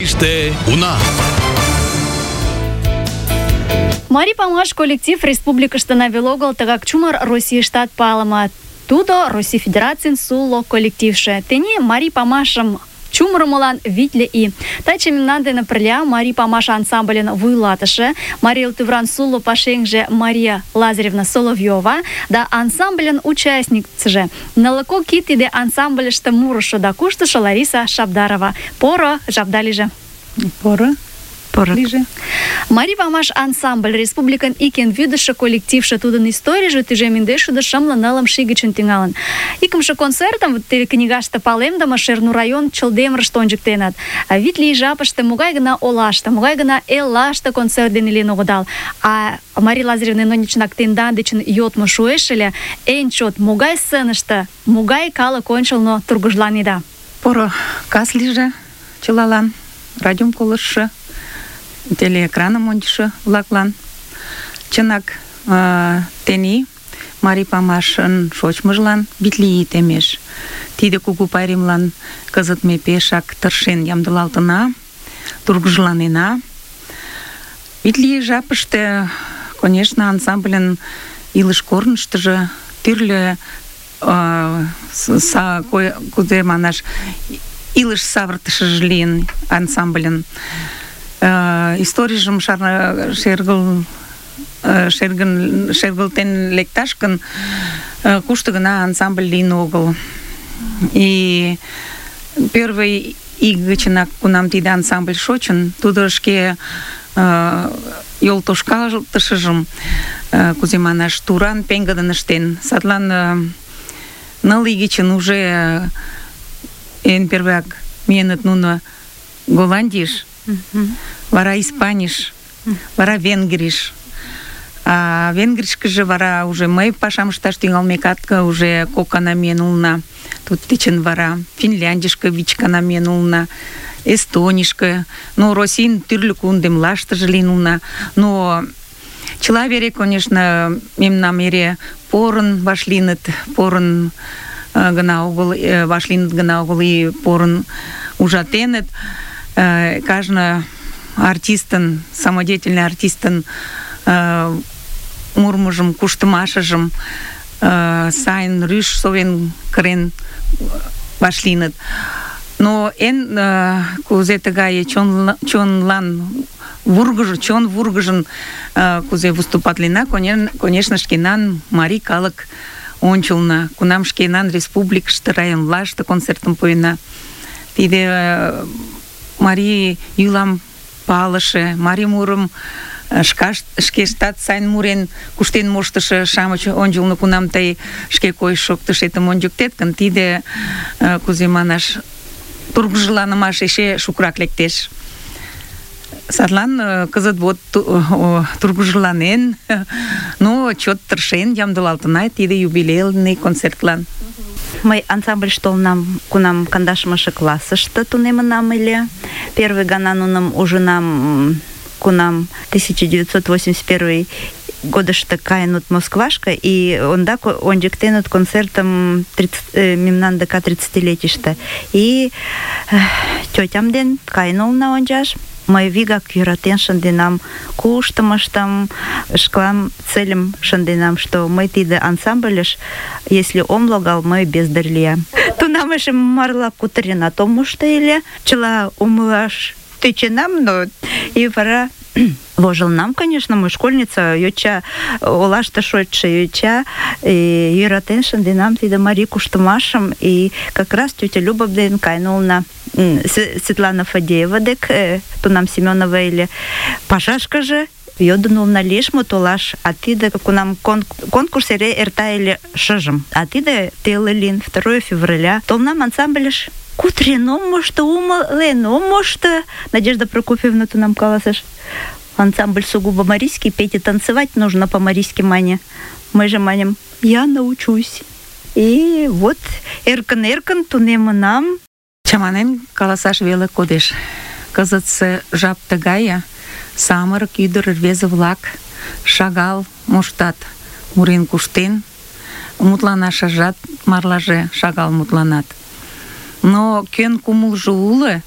Марийыште уна. Марий памаш коллектив республикыштына веле огыл, тыгак чумыр Российыштат палыме. Тудо Россий Федерацийын сулло коллективше. Тений Марий памашым чумырымылан витле ий. Таче мемнан дене пырля Марий памаш ансамбльын вуйлатыше, Марий Эл тӱвран сулло пашеҥже Мария Лазаревна Соловьёва да ансамбльын участникыже, нылле кок ий тиде ансамбльыште мурышо да куштышо Лариса Шабдарова. Поро жапда лийже. Поро лийже. Марий памаш ансамбль республикын ик эн вӱдышӧ коллективше, тудын историйже тӱжем индешшӱдӧ шымле нылымше ий гычын тӱҥалын. Икымше концертым теве книгаште палемдыме Шернур район Чылдемырыште ончыктеныт. Витле ий жапыште могай гына олаште, могай гына эллаште концерт дене лийын огыдал. А Мария Лазаревна Ноничнак тендан дечын йодмо шуэш ыле, эн чот могай сценыште, могай калык ончылно тургыжланеда? Поро кас лийже чылалан, радиом колыштшо, телеэкраным ончышо-влаклан. Чынак, тений Марий памашын шочмыжлан витле ий темеш. Тиде кугу пайремлан кызыт ме пешак тыршен ямдылалтына, тургыжланена. Витле ий жапыште, конечно, ансамбльын илыш корныштыжо тӱрлӧ кузе манаш, илыш савыртышыжо лийын ансамбльын. Историйжым шергылтен лекташ гын, кушто гына ансамбль лийын огыл. И первый ий гычынак, кунам тиде ансамбль шочын, тудо шке йолтошкалтышыжым, кузе манаш, туран пеҥгыдын ыштен. Садлан ныл ий гычын уже эн первак миеныт нуно Голландийыш, вара Испанийыш, вара Венгрийыш. А Венгрийышкыже вара уже мый пашам ышташ тӱҥалмекат уже кок гана миен улына. Туддечын вара Финляндийышке 5 гана миен улына, Эстонийышке, Российын тӱрлӧ кундемлаштыже лийын улына. Но чыла вере, конечно, мемнам эре порын вашлийыныт, порын гына огыл, вашлийыныт гына огыл и порын ужатеныт. Кажне артистын, самодеятельный артистын мурмыжым, куштымашыжым сайын рӱж совен кырен вашлийыныт. Но эн кузе тыгае чонлан чон вургыжын кузе выступатлена, конечно, шкенан марий калык ончылно, кунам шкенан республикыште, районлаште концертым пуэна. Тиде марий йӱлам палыше, марий мурым шкештат сайын мурен куштен моштышо-шамыч ончылно кунам тый шке койыш-шоктышетым ончыктет гын, тиде, кузе манаш, тургыжланымаш эше шукрак лектеш. Садлан кызыт вот тургыжланен, но чот тыршен ямдылалтына тиде юбилейный концертлан. Мый ансамбльыш толынам, кунам 12 классыште тунемынам ыле. Первый гана нуным ужынам, кунам 1981 годышто каенут Москвашка, и ондак ончыктенут концертым мемнан ДК 30-летийыште. И тётям ден каен улына ончаш. Мый вигак йӧратен шынденам, куштымыштым, шкалан цельым шынденам, что мый тиде ансамбльыш, если ом логал, мый бездарь лиям. Тунам эше марла кутыренат ом мошто ыле, чыла умылаш тӧченам, но и вара вожылнам, конечно, мый школьница, йоча, олаште шочшо йоча, йӧратен шынденам тиде марий куштымашым, и как раз тетя Люба ден каен улына Светлана Фадеева дек, тунам Семенова ыле, пашашкыже йодын улына лиеш мо толаш, а тиде кунам конкурс эре эрта ыле шыжым, а тиде теле лийын, 2 февраля, толынам ансамбльыш. Кутырен ом мошто, умылен ом мошто, Надежда Прокофьевна тунам каласыш. Ансамбль сугубо марийский, петь и танцевать нужно по-марийски, Маня. Мы же манем, я научусь. И вот эркын-эркын тунемынам. Чаманен каласаш веле кодеш. Кызытсе жап тыгае, самырык ӱдыр рвезе-влак шагал моштат мурен куштен, мутланашыжат марлаже шагал мутланат. Но кӧн кумылжо уло,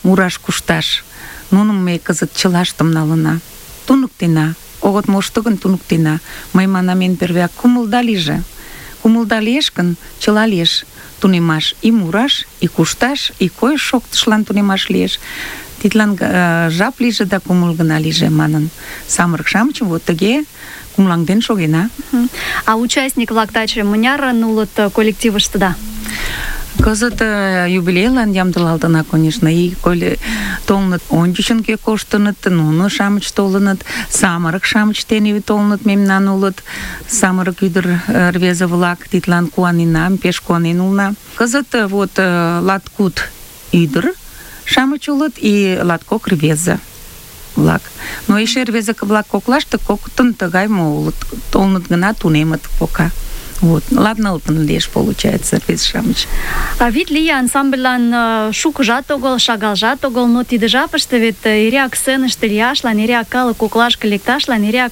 мураш кушташ. Нуным ме кызыт чылаштым налына. Туныктена. Огыт мошто гын туныктена. Мый манам эн первыяк кумылда лийже. Кумылда лиеш гын, чыла лиеш. Тунемаш и мураш, и кушташ, и койыш-шоктышлан тунемаш лиеш. Тидлан жап лийже да кумыл гына лийже манын. Самырык-шамычым вот тыге кумылаҥден шогена. А участник-влак таче мынярын улыт коллективыштыда? Кызыт юбилейлан ямдылалтына, конечно, и коли толыныт ончычын кӧ коштыныт, нуно-шамыч толыныт, самырык-шамыч тений толыныт, мемнан улыт, самырык ӱдыр рвезе-влак, тидлан куанена, пеш куанен улына. Кызыт вот латкуд ӱдыр-шамыч улыт и латкок рвезе-влак. Но эше рвезе-влак коклаште коктын тыгай мо улыт, толыныт гына, тунемыт пока. Вот, ладналтын лиеш, получается, рвезе-шамыч. А вет лие ансамбльлан шукыжат огыл, шагалжат огыл, но тиде жапыште вет эреак сценыште лияшлан, эреак калык коклашке лекташлан, эреак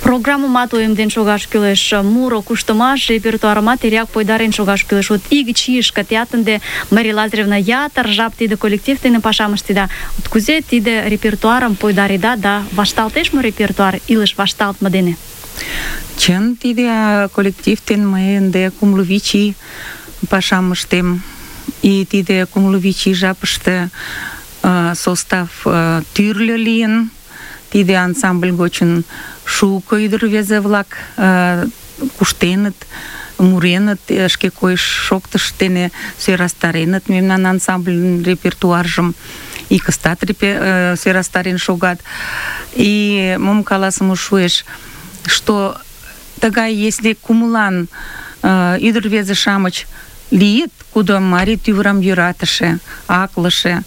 программымат уэмден шогаш кӱлеш, муро, куштымаш, репертуарымат эреак пойдарен шогаш кӱлеш. Вот ик чийышке теат ынде Мария Лазаревна ятыр жап тиде коллектив дене пашам ыштеда. Вот кузе тиде репертуарым пойдареда да вашталтеш мо репертуар илыш вашталтме дене? Чын, тиде коллектив ден мый ынде кумло вич ий пашам ыштем. И тиде кумло вич ий жапыште состав тӱрлӧ лийын. Тиде ансамбль гочын шуко ӱдыр-рвезе-влак куштеныт, муреныт, шке койыш-шоктыш дене сӧрастареныт мемнан ансамбльын репертуаржым. И кыстат сӧрастарен шогат. И мом каласыме шуэш, что тыгай, если кумылан ӱдыр-рвезе-шамыч лийыт, кудо марий тӱвырым йӧратыше, аклыше,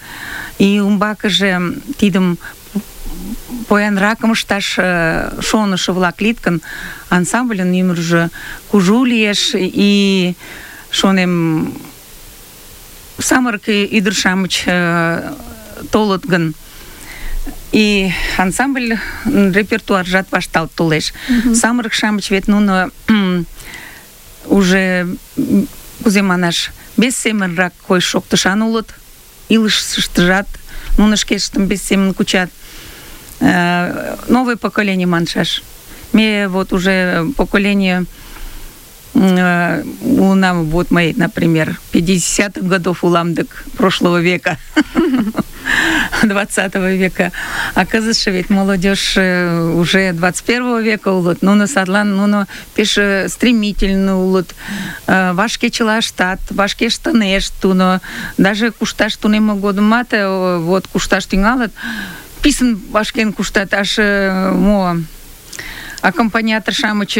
и умбакыже тидым поянракым ышташ шонышо-влак лийыт гын, ансамбльын ӱмыржӧ кужу лиеш, и, шонем, самырык ӱдыр-шамыч толыт гын, и ансамбль репертуаржат вашталт толеш. Самырык-шамыч вет нуно уже, кузе манаш, без семынрак койыш-шоктышан улыт, илышыштыжат нуно шкештым без семын кучат. Новое поколение маншаш. Ме вот уже поколение улам, вот мои, например, 50-х годов улам дык прошлого века. 20 века. А кызытше ведь молодежь уже 21 века улыт. Нуно садлан нуно пеш стремительно улыт. Вашке чыла ыштат, вашке ыштынешт туно. Даже кушташ тунемме годымат вот кушташ тӱҥалыт, писын вашкен куштат, аж мо аккомпаниатор-шамыч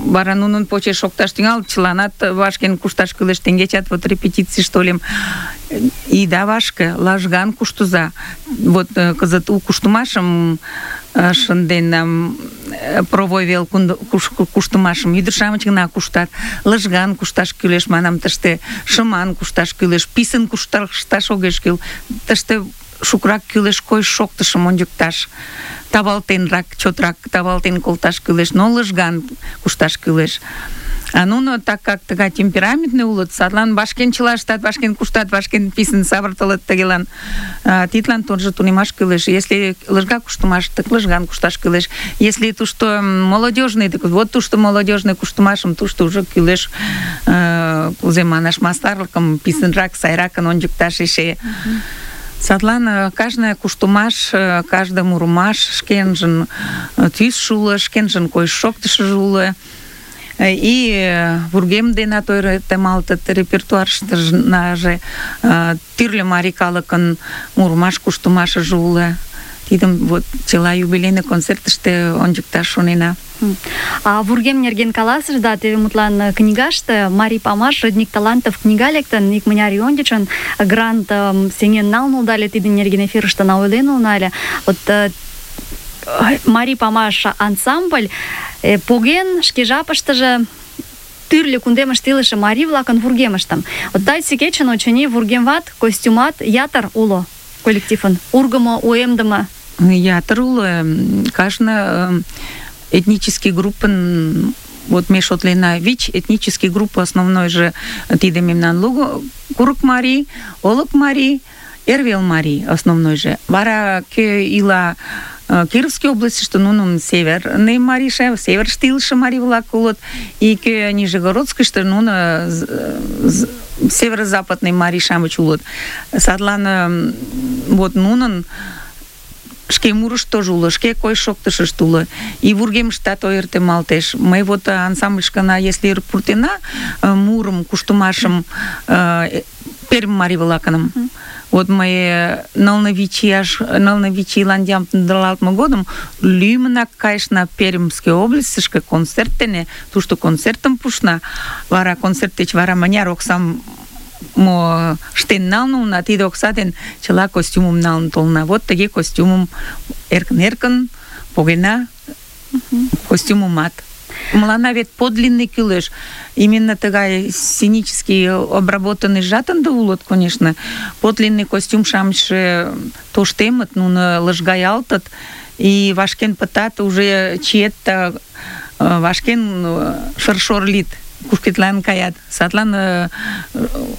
вара нунын почеш шокташ тӱҥалыт, чыланат вашкен кушташ кӱлеш. Теҥгечат вот репетицийыште ойлем, ида вашке, лажган куштыза. Вот кызыт у куштымашым шынден, провой вел куштымашым ӱдыр-шамыч гына куштат. Лыжган кушташ кӱлеш, манам, тыште шыман кушташ кӱлеш, писын кушташ огеш кӱл. Тыште шукрак кӱлеш койыш-шоктышым ончыкташ. Тавалтенрак, чотрак тавалтен колташ кӱлеш, но лыжган кушташ кӱлеш. А нуно, так как тыгай темпераментный улыт, садлан вашкен чыла ыштат, вашкен куштат, вашкен писын савыртылыт тыгелан. Тидлан тоже тунемаш кӱлеш. Если лыжга куштымаш, так лыжган кушташ кӱлеш. Если тушто молодежный, так вот тушто молодежный куштымашым тушто уже кӱлеш, кузе манаш, мастарлыкым писынрак, сайракын ончыкташ эше. Садлан кажне куштымаш, кажне мурымаш шкенжын тӱсшӧ уло, шкенжын койыш-шоктышыжо уло. И вургем денат ойыртемалтыт, репертуарыштыже тӱрлӧ марий калыкын мурымаш, куштымашыже уло. Тидым вот чыла юбилейный концертыште ончыкташ шонена. А вургем нерген каласышда, теве мутлан книгаште «Марий памаш. Родник талантов» книга лектын, икмыняр ий ончычын грант сеҥен налын улыда ыле, тидын нерген эфирыште ойлен улына ыле. Вот Марий памаш ансамбль поген шке жапыштыже тӱрлӧ кундемыште илыше марий-влакын вургемыштым. Вот таче кечын, очыни, вургемват, костюмат ятыр уло коллективын. Ургымо, уэмдыме. Ятыр уло. Кажне этнический группын, вот ме шотлена ВИЧ, этнический группы основной же тиде мемнан луго, курык марий, олык марий, Эрвел марий основнойже. Вара кӧ ила Кировской областьыште, нунын северный марийше, северыште илыше марий-влак улыт, и кӧ Нижегородскийыште, нуно северо-западный марий-шамыч улыт. Садлан вот нунын шке мурышт тоже уло, шке койыш-шоктышышт уло. И вургемыштат ойыртемалтеш. Мый вот ансамбльышкына, если пуртена мурым, куштымашым Пермь марий-влакыным, вот мый нылнывичийлан ямдылалтме годым лӱмынак кайышна Пермьский областьышке концерт дене, тушто концертым пуышна. Вара концерт деч вара мыняр оксам штен налын улына, тиде окса ден чыла костюмым налын толына. Вот тыге костюмым эркын-эркын погена костюмымат. Мыланна вет подлинный кӱлеш. Именно тыгай сценический обработанный жатында улыт, конечно. Подлинный костюм-шамычше тоштемыт, нуно лыжгаялтыт, и вашкен пытат уже чиетта вашкен шыршор лит. Кушкетлан каят. Садлан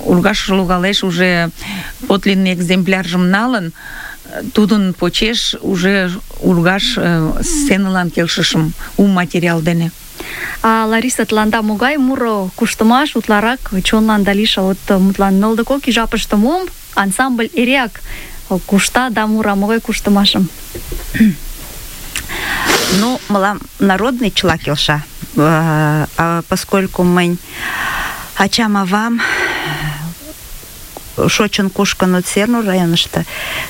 ургаш логалеш уже подлинный экземпляржым налын, тудын почеш уже ургаш сценылан келшышым у материал дене. А Лариса, тыланда могай муро куштымаш утларак чонланда лиша? Вот мутлан нылдыкок и жапыште мом ансамбль эреак кушта да мура, могай куштымашым? Ну, мылам народный чыла келша. Поскольку мынь ачам-авам шочын кушкын Сернур районышто,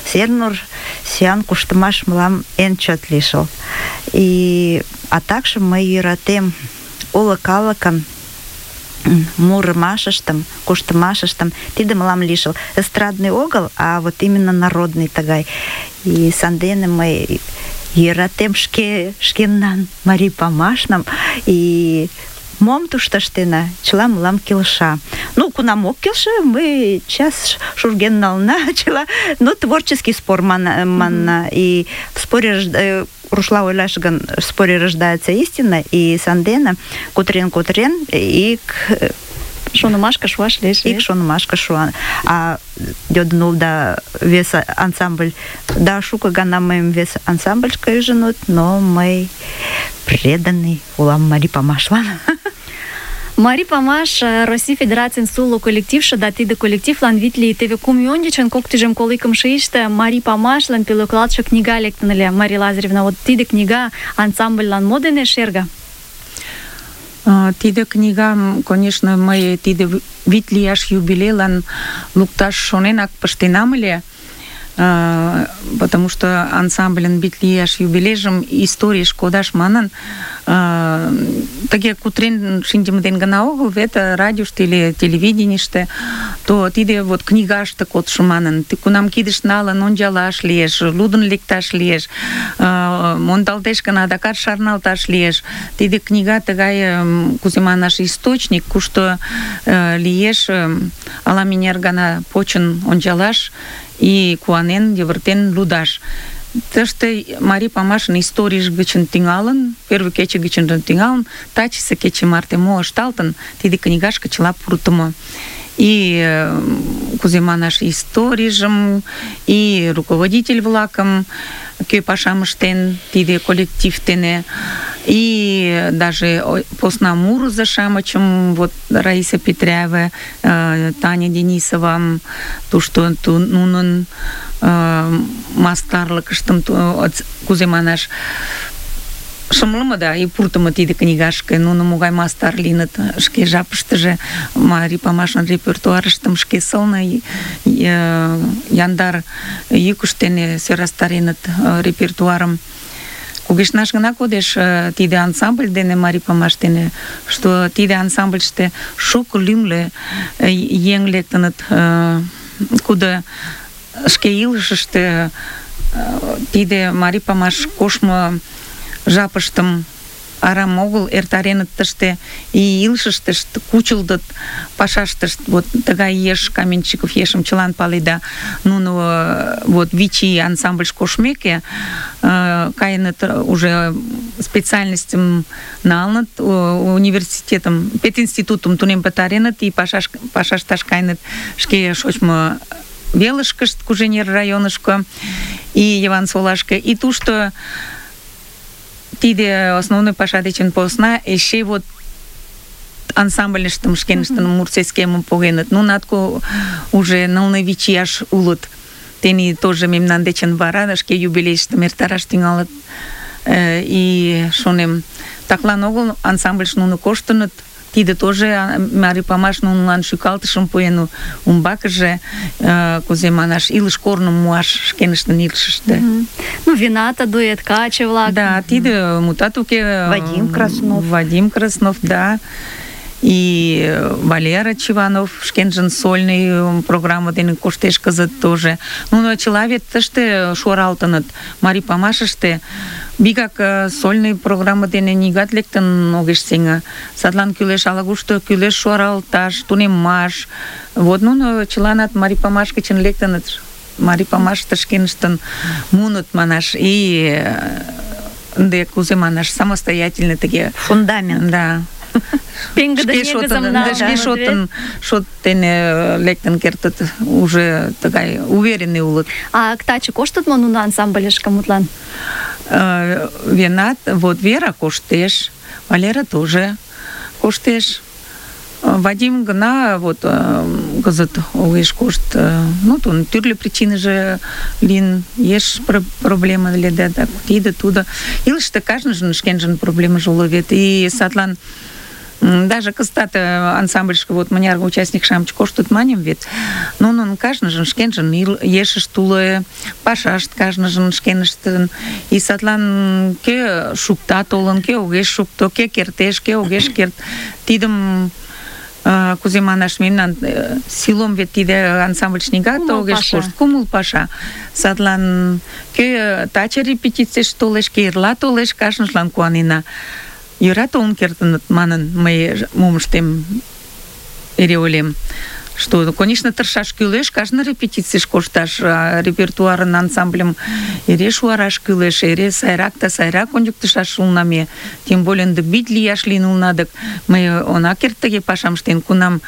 Сернур сӱан куштымаш мылам эн чот лишыл. А также мый йӧратем уло калыкын мурымашыштым, куштымашыштым. Тиде мылам лишыл. Эстрадный огыл, а вот именно народный тыгай. И сандене мый йӧратем шкенан марий памашным, и мом тушто ыштена, чыла мылам келша. Ну, кунам ок келше, мы час шурген налына, чыла, ну, творческий спор манна. И в споре рушла ойлаш гын, в споре рождается истина, и сандена кутырен, и шонымашка шуаш лиеш. Ик шонымашка шуа. А йодын улда вес ансамбль, да шуко гана мыйым вес ансамбльышке ӱжыныт, но мый преданный улам марий памашлан. Марий памаш Россий Федерацийын суло коллективше, да тиде коллективлан витле теве кум ий ончычын кок тӱжем коло икымше ийыште марий памашлан пӧлеклалтше книга лектын ыле. Мария Лазаревна, вот тиде книга ансамбльлан мо дене шерга? Тиде книгам, конечно, мый тиде вит лияш юбилейлан лукташ шоненак пыштенам ыле, потому что ансамбльын вит лияш юбилейжым историйыш кодаш манын, тыге кутырен шинчыме дене гына огыл, вет радиошто или телевиденийыште, то тиде вот книгаште кодшо манын, кунам кидыш налын ончалаш лиеш, лудын лекташ лиеш, мондалтеш гын адакат шарналташ лиеш. Тиде книга тыгай, кузе манаш, источник, кушто лиеш ала-мыняр гана почын ончалаш и куанен, йывыртен лудаш. Тыште марий памашын историйж гычын тӱҥалын, первый кече гычын тӱҥалын, тачысе кече марте мо ышталтын, тиде книгашке чыла пуртымо. И кузе манаш, историйжым, и руководитель-влакым, кӧ пашам ыштен тиде коллектив дене, и даже посна мурызо-шамычым, вот Раиса Петряева, Таня Денисова, тушто нунын мастарлыкыштым, кузе манаш, шымлыме да и пуртымо тиде книгашке, нуно могай мастар лийыныт, шке жапыштыже марий памашын репертуарыштым шке сылне яндар йӱкышт дене сӧрастареныт репертуарым. Кугешнаш гына кодеш тиде ансамбль дене, марий памаш дене, что тиде ансамбльыште шуко лӱмлӧ еҥ лектыныт, кудо шке илышыште тиде марий памаш коштмо жапыштым арам огыл эртареныт тыште, и илышыштышт кучылдыт пашаштышт. Вот тыгай еш Каменщиков ешым чылан паледа. Нуно вот вичи ансамбльш коштмеке кайыныт, уже специальностьым налыныт, университетым, пединститутым тунем пытареныт, и пашашташ кайыныт шке шочмо велышкышт, Куженер районышко и Йывансолашке. И тушто тиде основной паша дечын посна эше вот ансамбльыштым шкеныштын мурцейскемым погеныт. Нунат уже нылле ияш улыт. Тени тоже мемнан дечын вара шке юбилейыштым эртараш тӱҥалыт. И шонем, таклан огыл ансамбльыш нуно коштыныт. Тиде тоже Марий Памаш нунылан шӱкалтышым пуэн, умбакыже, кузе манаш, илыш корным муаш шкеныштын илышыште. Ну, вината, дуэт, каче-влак. Да, тиде мутат уке. Вадим Краснов, да. И Валера Чиванов, шкенжын сольный программа дене коштеш кызыт тоже. Нуно чыла вет тыште шуаралтыныт. Марий Памашыште бигак сольный программа дене нигат лектын огеш сеҥе. Садлан кӱлеш ала-кушто кӱлеш шуаралташ, тунеммаш. Вот нуно чыланат Марий Памаш гычын лектыныт. Марий Памашыште шкеныштын муыныт манаш. И ынде кузе манаш, самостоятельный тыге фундамент. Да. Шке шот дене лектын кертыт, уже тыгай уверенный улыт. А таче коштыт мо нуно ансамбльышке мутлан? Венат, вот Вера коштеш, Валера тоже коштеш. Вадим гына вот кызыт огеш кошт. Ну, тун тӱрлӧ причиныже лийын, еш проблема лиеда, так тиде тудо. Илыште кажныжын шкенжын проблемыже уло вет. И садлан даже кызытат ансамбльышке вот мыняр участник-шамыч коштыт маньым вет. Нунын кажныжын шкенжын ешышт уло, пашашт кажныжын шкеныштын. И садлан кӧ шукта толын, кӧ огеш шукто, кӧ кертеш, кӧ огеш керт. Тидым кузе манаш, мемнан силом вет тиде ансамбльыш нигат огеш кошт. Кумыл паша. Садлан кӧ таче репетицийыш толеш, кӧ эрла толеш, кажныжлан куанена. Йӧра толын кертыныт манын, мый мом ыштем, эре ойлем. Что, конечно, тыршаш кӱлеш, кажне репетицийыш кошташ, репертуарын ансамбльым эре шуараш кӱлеш, эре сайрак да сайрак ончыктышаш улна ме. Тем более ынде бит лияш лийын улна, дык мый она керт тыге пашам ыштен, кунам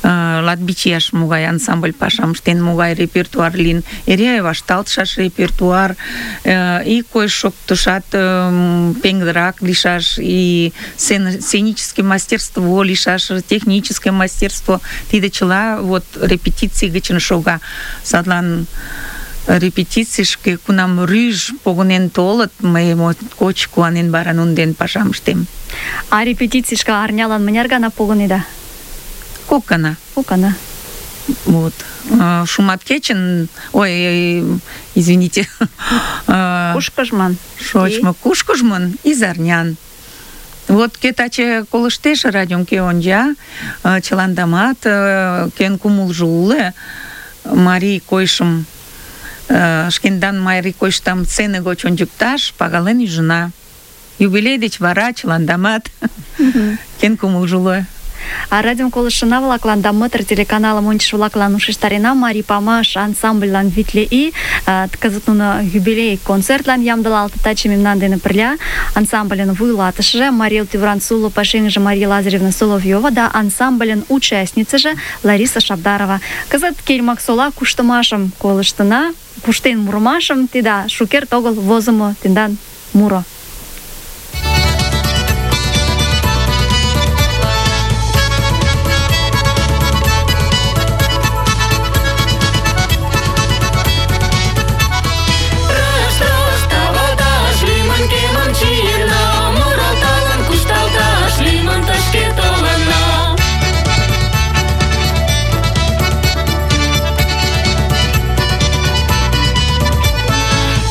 латвич ияш могай ансамбль пашам ыштен, могай репертуар лийын, эре вашталтшаш репертуар, и койыш шоктышат пеҥгыдырак лийшаш, и сценическое мастерство лийшаш, техническое мастерство, тиде чыла вот репетиций гычын шога. Садлан репетицийышке кунам рӱж погынен толыт, мый моткоч куанен вара нунын дене пашам ыштем. А репетицийышке арнялан мыняр гана погынеда? Кок гана. Вот. Шуматкечын, ой, извините. Кушкыжман. Шочмо кушкыжмын изарнян. Вот кӧ таче колыштеш радиом, кӧ онча, чыландамат, кӧн кумылжо уло, марий койышым, шкендан марий койыштам сцене гоч ончыкташ, пагален ӱжына. Юбилей деч вара чыландамат кӧн кумылжо уло. А радиом колыштшына-влаклан да Мытыр телеканалым ончышо-влаклан ушештарена, Марий Памаш ансамбльлан витле ий, кызыт нуно юбилей концертлан ямдылалтыт. Таче мемнан дене пырля ансамбльын вуйлатышыже Мария Тӱвран Суло пашеҥгыже Мария Лазаревна Соловьёва да ансамбльын участницыже Лариса Шабдарова. Кызыт Кельмаксола куштымашым колыштына, куштен мурымашым, тида шукерт огыл возымо тендан муро.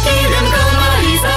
Тиден калма Лиза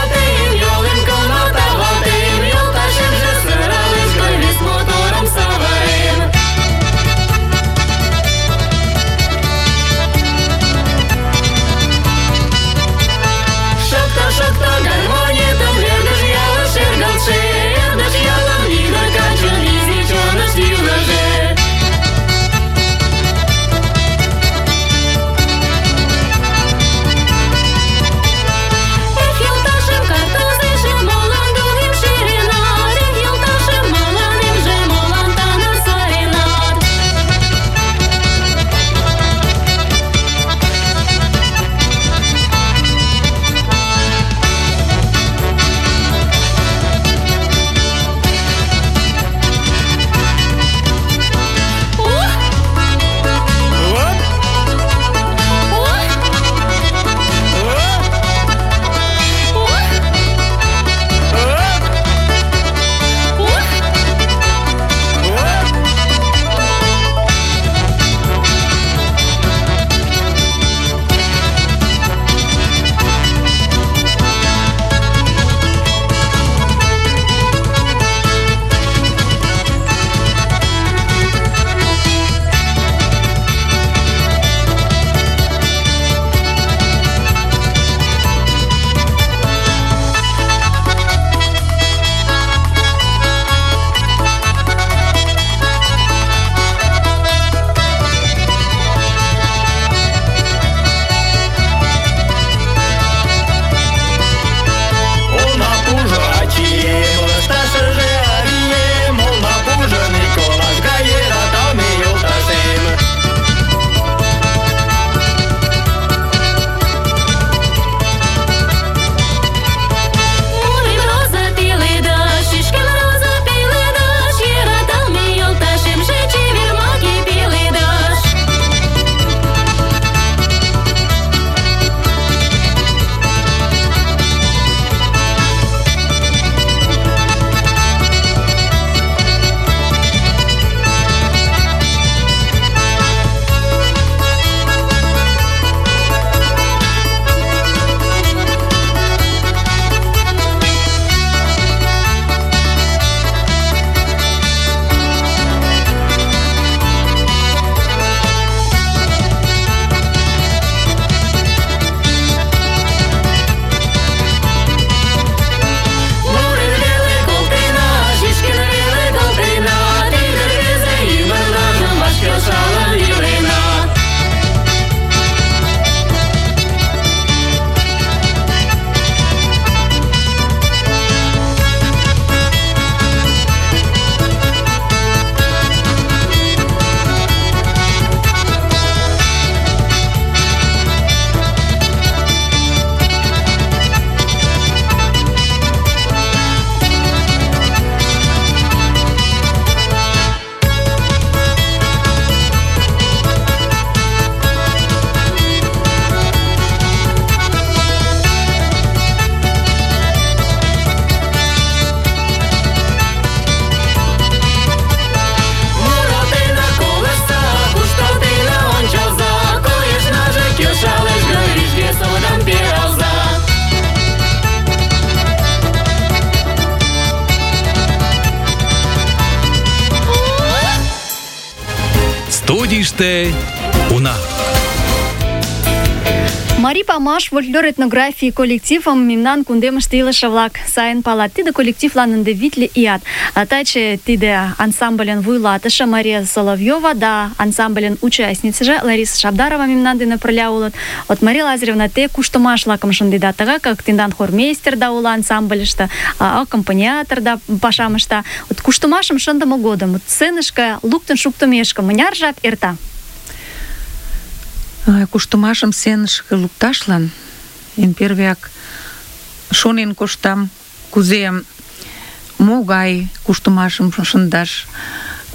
Студийыште уна. Марий Памаш фольклор-этнографий коллективым мемнан кундемыште илыше-влак сайын палат. Тиде коллективлан ынде витле ият. А таче тиде ансамбльын вуйлатыше Мария Соловьева да ансамбльын участницыже Лариса Шабдарова мемнан дене пырля улыт. Вот, Мария Лазаревна, те куштымаш-влакым шындеда, тыгак как тендан хормейстер да ула ансамбльыште, аккомпаниатор да пашам ышта. Вот куштымашым шындыме годым сценышке луктын шуктымешке мыняр жап эрта? Куштымашым сценышке лукташлан эн первыяк шонен коштам, кузе могай куштымашым шындаш,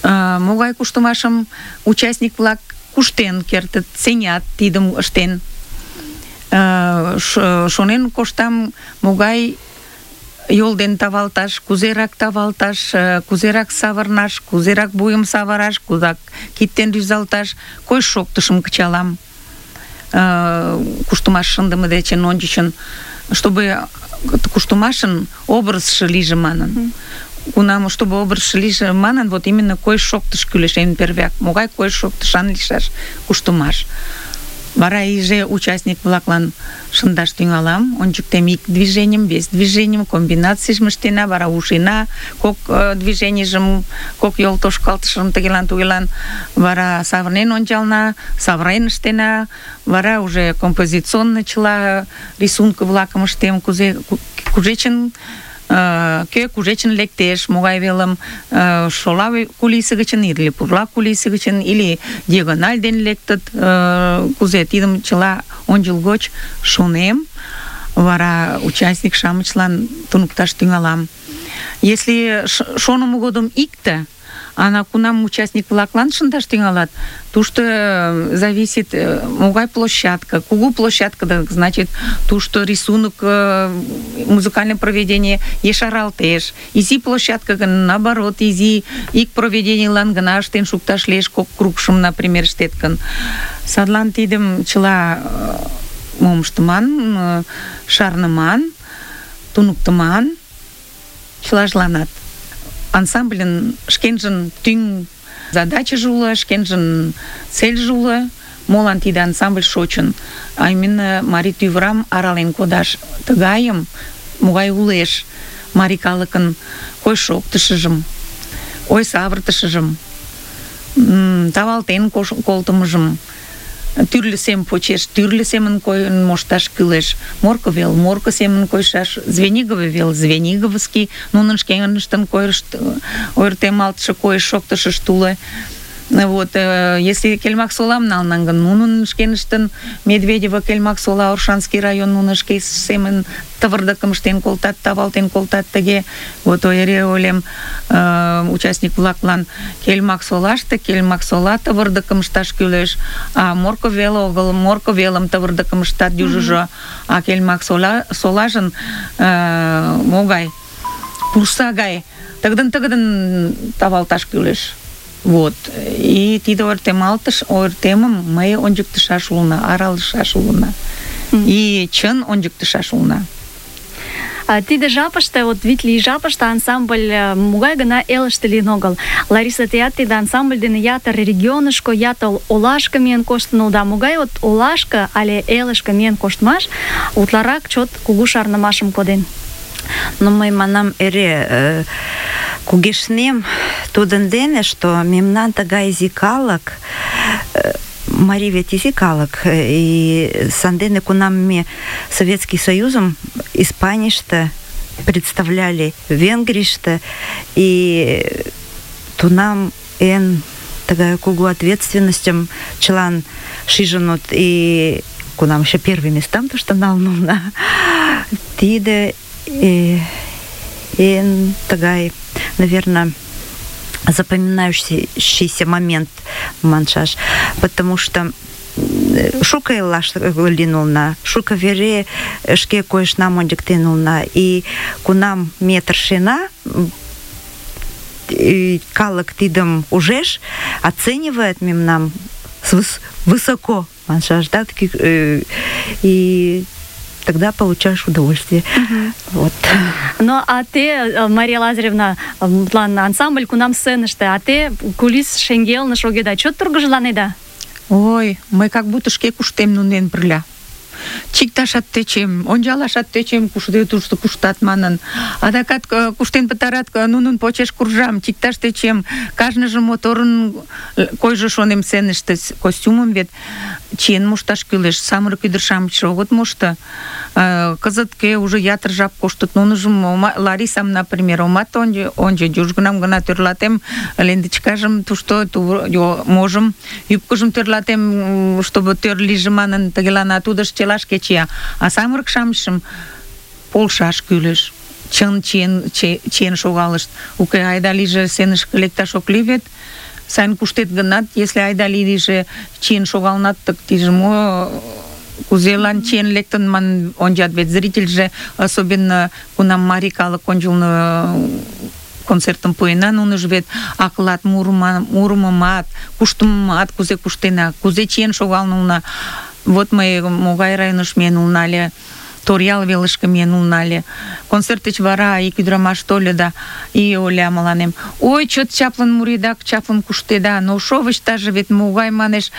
могай куштымашым участник-влак куштен кертыт, сеҥат тидым ыштен. Шонен коштам, могай йол ден тавалташ, кузерак тавалташ, кузерак савырнаш, кузерак вуйым савыраш, кузак кид-ден рӱзалташ, койыш-шоктышым кычалам. Куштымаш шындыме дечын ончычын, чтобы куштымашын образшы лийже манын. Кунам, чтобы образшы лийже манын, вот именно койыш-шоктыш кӱлеш эн первяк. Могай койыш-шоктышан лийшаш куштымаш. Вара иже участник-влаклан шындаш тӱҥалам, ончыктем ик движенийым, вес движенийым, комбинацийжым ыштена, вара ушена кок движенийжым, кок йол тошкалтышым тыгелан-тугелан, вара савырнен ончална, савырен ыштена, вара уже композиционный чыла рисунка-влакым ыштем, кушечын кӧ кушечын лектеш, могай велым шола кулисе гычын или пурла кулисе гычын, или диагональ ден лектыт, кузе тидым чыла ончылгоч шонем, вара участник-шамычлан туныкташ тӱҥалам. Если шонымо годым икте, ана кунам участник-влаклан шындаш тӱҥалат, тушто зависит могай площадка. Кугу площадка, значит, тушто рисунок, музыкальное проведение ешаралтеш. Изи площадка гын, наоборот, изи ик проведенийлан гына ыштен шукташ лиеш, кок кругшым, например, ыштет гын. Садлан тидым чыла мом ыштыман, шарныман, туныктыман, чылажланат. Ансамбльын шкенжын тӱҥ задачыже уло, шкенжын цельже уло, молан тиде ансамбль шочын. А именно марий тӱвырам арален кодаш. Тыгайым, могай улеш марий калыкын койыш-шоктышыжым, ой савыртышыжым, тавалтен колтымыжым, тӱрлӧ сем почеш, тӱрлӧ семын койын мошташ кӱлеш. Морко вел, морко семын койышаш, звениговый вел, звениговский, нунын шкеныштын ойыртемалтше койыш-шоктышышт уло. Вот, если Кельмак-Солам налнан гын, нунын шкеныштын Медведево, Кельмак-Сола, Оршанский район, нунын шке семын тывырдыкым ыштен колтат, тавалтен колтат тыге. Вот эре ойлем участник-влаклан Кельмак-Солаште Кельмак-Сола тывырдыкым ышташ кӱлеш, а Морко вел огыл, Морко велым тывырдыкым ыштат южыжо, а Кельмак-Солажын могай пурса гай тыгыдын тавалташ кӱлеш. Вот. И тиде ойыртемым мый ончыктышаш улына, аралышаш улына. И чын ончыктышаш улына. Тиде жапыште, вот витле жапыште ансамбль могай гына элыште лийын огыл. Лариса, теат тиде ансамбль дене ятыр регионышко, ятыр олашке миен коштын улыда. Могай вот олашке але элышке миен коштмаш утларак чот кугу шарнымашым коден? Но мый манам эре кугешнем тудын дене, что мемнан тыгай изи калык, марий вет изи калык, и сандене кунам ме Советский Союзым Испанийыште представляли, Венгрийыште, и тунам эн тыгай кугу ответственностям чылан шижынут, и кунам еще первый местам то, что налнуна, тиде эн тыгай, наверное, запоминающийся момент маншаш, потому что шука елаш линулна, шука вере шке койышнам ончыктенулна, и кунам метр шена калык тидым ужеш, оценивает мемнам высоко маншаш, да, и тогда получаешь удовольствие. Вот. Ну, а те, Мария Лазаревна, план ансамбль кунам сценыште, а те кулис шеҥгелне шогеда, чот тургыжланеда? Ой, мый как будто шке куштем нунен пырля. Чикташат тӧчем, ончалашат тӧчем, кушто тушто куштат манын. Адакат куштен пытарат, нунын почеш куржам, чикташ тӧчем. Кажныже моторын койжо шонем сценыште, костюмым вет чиен мошташ кӱлеш. Самырык ӱдыр-шамычше огыт мошто. Кызыт кӧ уже ятыр жап коштыт. Нуныжым, Ларисам, например, омат ончо, южгунам гына тӧрлатем, лендычкажым тушто можым, юбкыжым тӧрлатем, чтобы тӧр лийже манын, тыгелана тудыш челашке чия. А самырык-шамычшым полшаш кӱлеш. Чын чиен шогалышт. Уке, айда лийже сценышке лекташ ок лий вет. Сайын куштет гынат, если айда лийже чиен шогалнат, так тиже мо... Кузелан чиен лектын ман ончат, вет зрительже, особенно кунам марий калык ончылно концертым пуэна, нуныж вет аклат мурымымат, куштымымат кузе куштена, кузе чиен шогалнылна. Вот мый могай районыш миен улна ыле, Торъял велышке миен улна ыле. Концерт деч вара ик ӱдырамаш тольо да и ойла мыланем: ой, чот чаплын муреда, чаплын куштеда, но шовычтаже вет могай, манеш,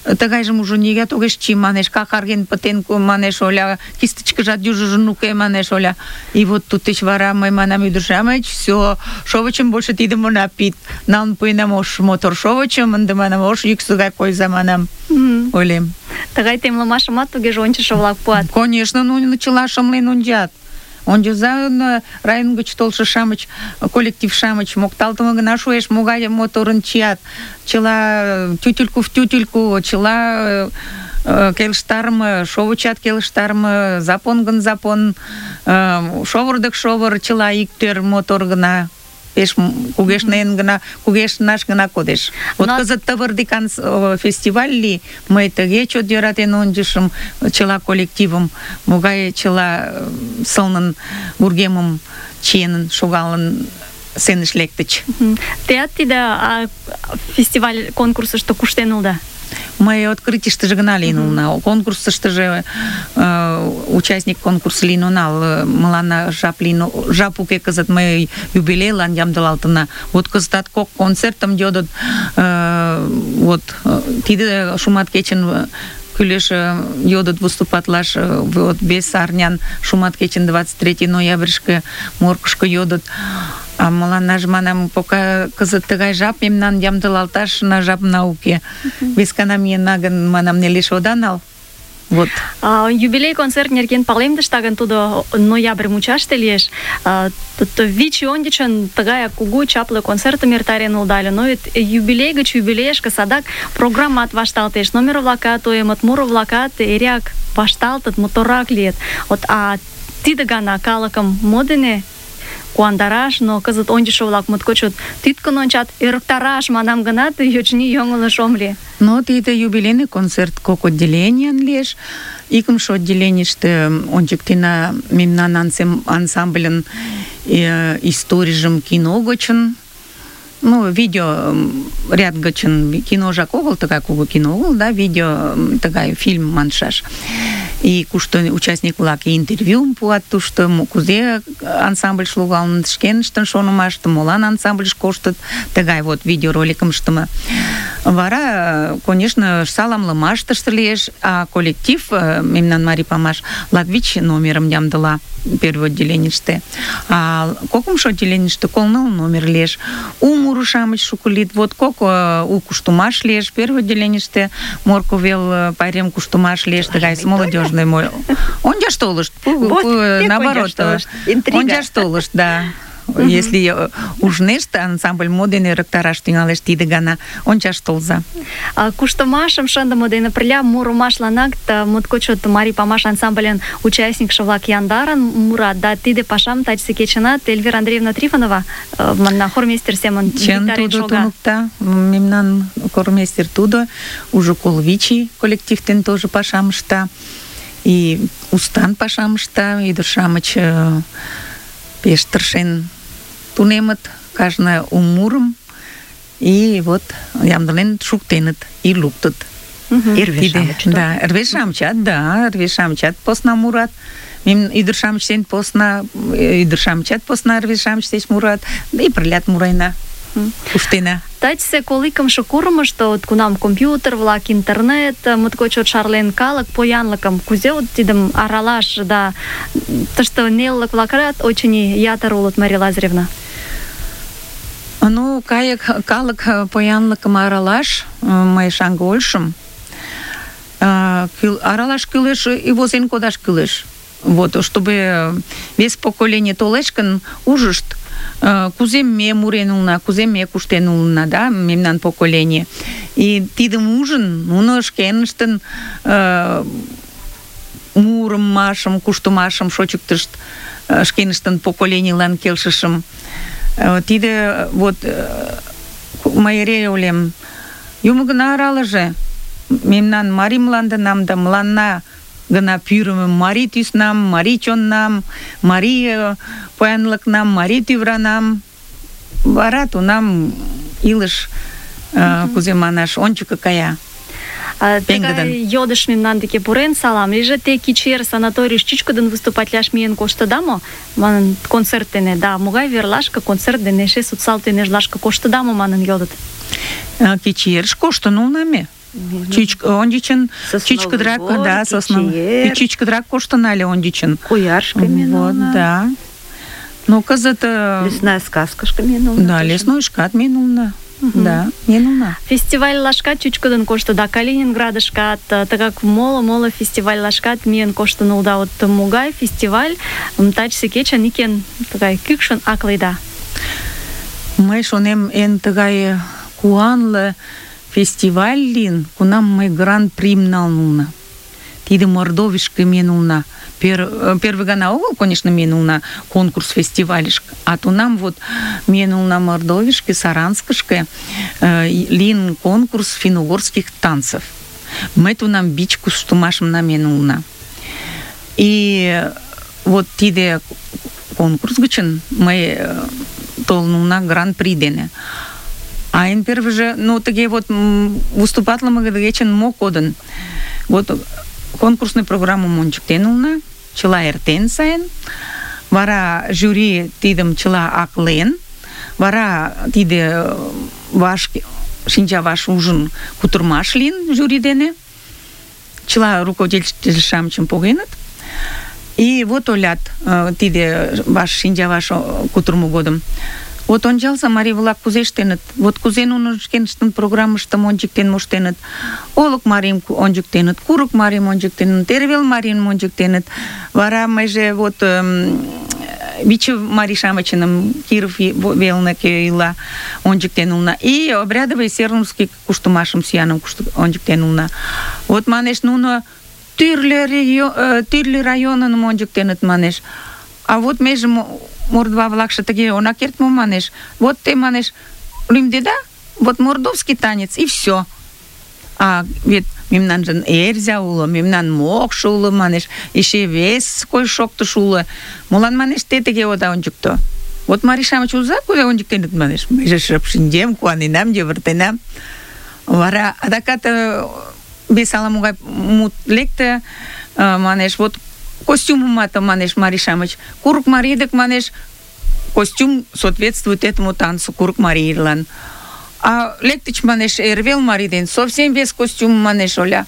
тыгайжым уже нигӧат огеш чий, манеш, какарген пытен, манеш, оля, кистычкыжат южыжын уке, манеш, оля. И вот туддеч вара мый манам: ӱдыр-шамыч, всё, шовычым больше тидым она пид. Налын пуэнам ош мотор шовычым, ынде манам, ош йӱксӧ гай койза, манам. Ойлем. Тыгай темлымашымат тугеже ончышо-влак пуат. Конечно, нуно чыла шымлен ончат. Ончыза район гыч толшо-шамыч, коллектив-шамыч мокталтыме гына шуэш, могай моторын чият. Чыла тютельку в тютельку, чыла келыштарыме, шовычат келыштарыме, запон гын запон, шовыр дык шовыр, чыла иктӧр мотор гына. Пеш кугешнен гына, кугешнаш гына кодеш. Вот кызыт Тывырдикан фестиваль ли, мый тыге чот йӧратен ончышым чыла коллективым, могай чыла сылнын вургемым чиен шогалын сценыш лектыч. Теат тиде фестиваль конкурсышто куштен улыда? Мый открытийыштыже гына лийын улына. Конкурсыштыже участник конкурса лийын онал. Мыланна жап уке кызыт, мый юбилейлан ямдылалтына. Вот кызытат кок концертым йодыт. Вот тиде шумат кечын кӱлеш йодыт выступатлаш. Вот вес арнян шумат кечын 23 ноябрьышке Моркышко йодыт. А мыланнаже, манам, пока кызыт тыгай жап мемнан ямдылалташна жапна уке. Вескана миена гын, манам, нелеш ода нал. Вот. Юбилей концерт нерген палемдышда гын, тудо ноябрь мучаште лиеш. Вич ончычын тыгаяк кугу чапле концертым эртарен улыда ыле. Но вет юбилей гыч юбилейышке садак программат вашталтеш, номер-влакат тоемыт, муро-влакат эреак вашталтыт, моторрак лийыт. Вот, а тиде гана калыкым мо дене куандараш, но кызыт ончышо-влак моткочот тӱткын ончат, ӧрыктараш манам гынат, йочни йоҥылыш ом лий. Но тиде юбилейный концерт кок отделениян лиеш. Икымше отделенийыште ончыктена мемнан ансамбльын историйжым кино гычын, ну, видео ряд гычын, киножак огыл, тыгай кугу кино огыл, да, видео, тыгай фильм маншаш. И кушто участник-влак интервьюм пуат тушто, кузе ансамбль шогалын, шкеныштын шонымашты, молан ансамбльыш коштыт, тыгай вот видеороликым ыштыме. Вара, конечно, саламлымаштыште лиеш, а коллектив, мемнан Марий Памаш, латвич номерым ямдыла первый отделенийыште. А кокымшо отделенийыште колныл номер лиеш. У мурышамыч шуко лийыт. Вот кок у куштумаш лиеш. Первый отделенийыште Морко вел пайрем куштумаш лиеш, тыгай молодежный мой. Ончаш толышт. Наоборот. Ончаш толышт, да. Если ужнешт, ансамбль моден ӧрыктараш тӱҥалеш, тиде гана ончаш толза. Куштымашым шындыме дене пырля мурымашланак моткоч чот Марий Памаш ансамбльын участникше-влак яндарын мурат, да тиде пашам тачысе кечынат Эльвира Андреевна Трифонова манна хормейстер семын виктарен шога. Чын тудо туныкта, мемнан хормейстер тудо, уже колвичи коллективтен тоже пашам ышта, и устан пашам ышта, ӱдыр-шамыч пеш тыршен тунемыт кажне у мурым, и вот ямдылен шуктеныт и луктыт. Да, рвеж-шамычат посна мурат. Ӱдыр-шамыч деч посна, ӱдыр-шамычат посна рвеж-шамыч деч мурат, да и пырлят мурена. Куштена. Тачысе коликымше курымышто от кунам компьютер-влак, интернет, моткоч чот шарлен калык поянлыкым, кузе от тидым аралаш, да тыште нелылык-влакат очыни ятыр улыт, Мария Лазаревна. Ну, калык поянлыкым аралаш, мый шаҥге ойлышым, аралаш кӱлеш и возен кодаш кӱлеш. Вот, чтобы вес поколение толеш гын, ужышт, кузе ме мурен улына, кузе ме куштен улына, да, мемнан поколение. И тидым ужын, нуно шкеныштын мурымашым, куштымашым шочыктышт, шкеныштын поколенийлан келшышым. Тиде вот мый эре ойлем, юмо гына аралыже мемнан марий мландынам да мыланна гына пӱрымӧ марий тӱснам, марий чоннам, марий поянлыкнам, марий тӱвранам. Вара тунам илыш, кузе манаш, ончыко кая. Тыгай йодыш мемнан деке пурен, салам лийже, те кечер санаторийыш чӱчкыдын выступатлаш миен коштыда мо? Манын, концерт дене, да, могай верлашке концерт дене, эше социал тӱнежлашке коштыда мо, манын йодыт. Кечерыш коштын улына ме. Ончычын чӱчкыдырак, да, чӱчкыдырак коштын але ончычын. Куяршке миен улына. Да. Но кызыт... Лесная сказкашке миен улына. Да, леснойышкат миен улына. Да, миен улына. Фестивальлашкат чӱчкыдын коштыда, Калининградышкат, тыгак моло фестивальлашкат миен коштын улыда. Вот могай фестиваль тачысе кечын икен тыгай кӱкшын акледа? Мый шонем, эн тыгай куанле фестиваль лийын, кунам мый гран-прим налын улына. Тиде Мордовишке миен улына. Первый гана огыл, конечно, миен улына конкурс фестивальышке, а тунам вот миен улына Мордовишке, Саранскышке, лийын конкурс финно-угорских танцев. Мый тунам бич куштымашым намиен улына. И вот тиде конкурс гычын мый толын улына гран-при дене. А эн первыйже, ну, тыге вот выступатлыме гычын мо кодын? Вот конкурсный программым ончыктен улына, чыла эртен сайын, вара жюри тидым чыла аклен, вара тиде шинчаваш ужын кутырмаш лийын жюри дене, чыла руководитель-шамычым погеныт, и вот олят тиде ваш шинчаваш кутырмо годым. Вот ончалса, марий-влак кузе ыштеныт, вот кузе нуно шкеныштын программыштым ончыктен моштеныт, олык марийым ончыктеныт, курык марийым ончыктеныт, эрвел марийым ончыктеныт, вара мыйже вот Виче марий-шамычыным Киров велне кӧ ила ончыктен улына, и обрядовый сернурский куштымашым сӱаным ончыктен улына. Вот манеш, нуно тӱрлӧ районым ончыктеныт, манеш. А вот меже мордва-влакше тыге она керт мо, манеш. Вот те, манеш, лӱмдеда, вот мордовский танец, и все. А вет мемнанжын эрзя уло, мемнан мокшо уло, манеш, эше вес кой шоктыш уло. Молан, манеш, те тыге ода ончыкто. Вот марий-шамыч уза кузе ончыктеныт, манеш. Мыйже шып шинчем, куаненам, йывыртенам. Вара адакат вес ала-могай мут лекте, манеш, вот костюмымат, манеш, марий-шамыч. Курык марий дек, манеш, костюм соответствует этому танцу, курык марийлан. А лектыч, манеш, эрвел марий ден совсем вес костюм, манеш, оля.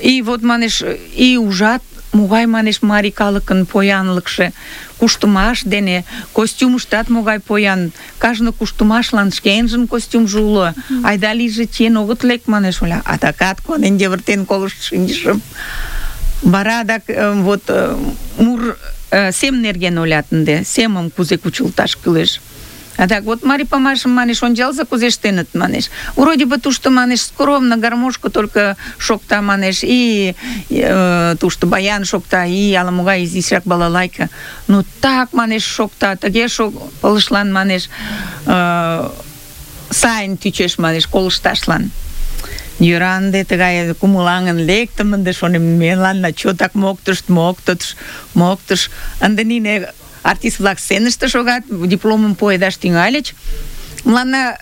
И вот, манеш, и ужат, могай, манеш, марий калыкын поянлыкше, куштымаш дене, костюмыштат могай поян, кажне куштымашлан шкенжын костюмжо уло. Айда лийже чиен огыт лек, манеш, оля. А такат конен йывыртен колышт шинчышым. Вара адак вот мур сем нерген олят ынде, семым кузе кучылташ кӱлеш. Адак вот марий памашым, манеш, ончалза кузе ыштеныт, манеш. Вроде бы тушто, манеш, скромно гармошко только шокта, манеш, и тушто баян шокта, и ала-могай изишак балалайка. Ну так, манеш, шокта, тыге пылышлан, манеш, сайын тӱчеш, манеш, колышташлан. Йӧра ынде тыгай кумылаҥын лектым, ынде шонем, меланна чотак моктыш. Ынде нине артист-влак сценыште шогат, дипломым пуэдаш тӱҥальыч. Мыланна,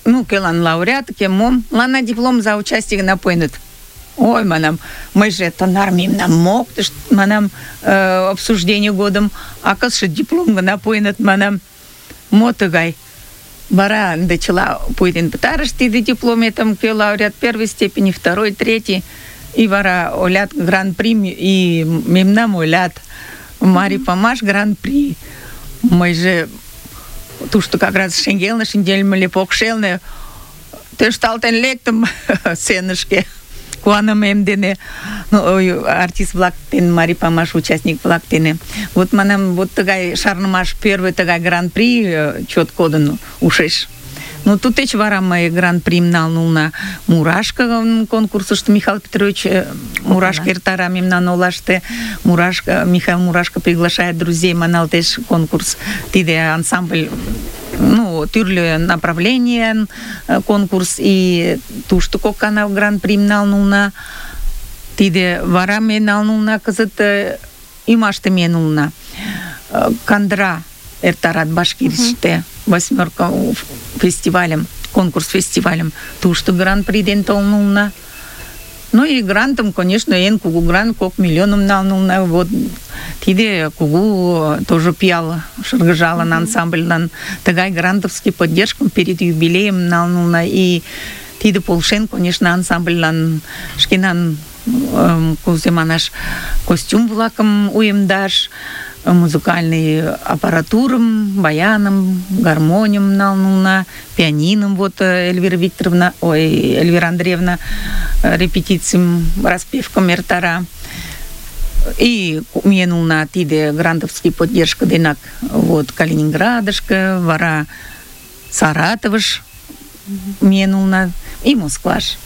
ну, кӧлан лауреат, кӧ мом, мыланна диплом за участие гына пуэныт. Ой, манам, мыйже тынар мемнам моктышт, манам, обсуждение годым, а кызше диплом гына пуэныт, манам, мо тыгай? Вара ынде чыла пуэден пытарышт тиде диплометым, кӧ лауреат первой степени, второй, третий, и вара олят гран-при, и мемнам олят Марий Памаш гран-при. Мыйже тушто как раз шеҥгелне шинчылме ыле, покшелне тӧршталтен лектым сценышке куанымем дене, артист-влак дене, Марий Памаш участник-влак дене. Вот манам, вот тыгай шарнымаш, первый тыгай гран-при чот кодын ушеш. Ну, тутеч вара мый гран-прим налын улна Мурашка конкурсышто. Михаил Петрович Мурашка эртара мемнан олаште. Михаил Мурашка приглашает друзей, маналтеш конкурс. Тиде ансамбль, тӱрлӧ направление конкурс, и тушто кок гана гран-прим налын улна. Тиде вара ме налын улна кызыт ӱмаште миен улна. Кандра эртарат Башкирийыште. 8-ка фестивалем, конкурс-фестивалем. Тушто гран-при ден толын улна. Ну и грантым, конечно, эн кугу грант, 2 миллионым налын улна. Вот тиде кугу тоже пиал шыргыжалын ансамбльлан. Тыгай грантовский поддержкым перед юбилеем налын улна. И тиде полшен, конечно, ансамбльлан шкенан кузе манаш костюм-влакым уэмдаш, музыкальный аппаратурым, баяным, гармонием налын улна, пианином. Вот Эльвира Андреевна репетицийым, распевкам эртара. И миен улна тиде грантовский поддержка денак вот Калининградышке, вара Саратовыш миен улна и Москваш.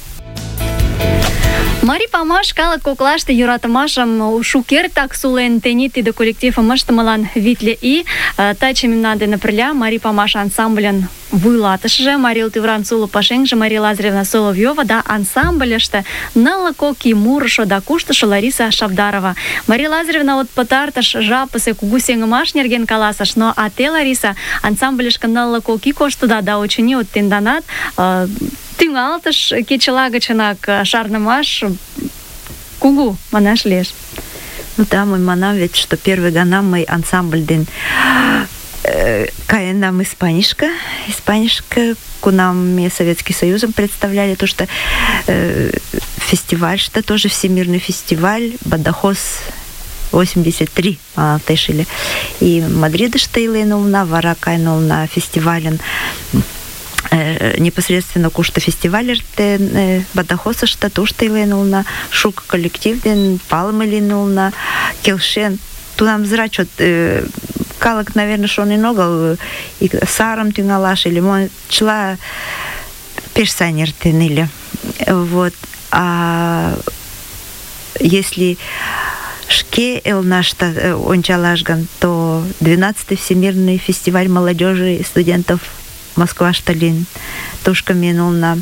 Марий Памаш калык коклаште йӧратымашым шукертак сулен, тений тиде коллективым ыштымылан витле ий. Таче мемнан дене пырля Марий Памаш ансамбльын вуйлатышыже Мария Тывран Суло пашеҥже Мария Лазаревна Соловьёва да ансамбльыште нылле кок ий мурышо да куштышо Лариса Шабдарова. Мария Лазаревна вот пытартыш жапысе кугу сеҥымаш нерген каласыш, но а те, Лариса, ансамбльышке нылле кок ий коштыда да, очыни, вот тенданат тӱҥалтыш кечыла гычынак шарнымаш кугу манаш лиеш. Ну да, мый манам вет, что первый гана мый ансамбль ден каенам Испанишка, кунам ме Советский Союзом представляли, то что фестиваль, что тоже всемирный фестиваль, Бадахос 83 тешили. И Мадридыште иленулна, вара кайнулна фестивален непосредственно кушта фестивалерте Бадахосышта тушта иленулна, шук коллективден палым иленулна, келшен. Тунам зрачот калык, наверное, шонен огыл, и сарым тӱҥалаш или мо, чыла пеш сайын эртен ыле. Вот. А если шке элнашта ончалаш гын, то 12-й Всемирный фестиваль молодежи и студентов Москвашта лин. Тушка минулна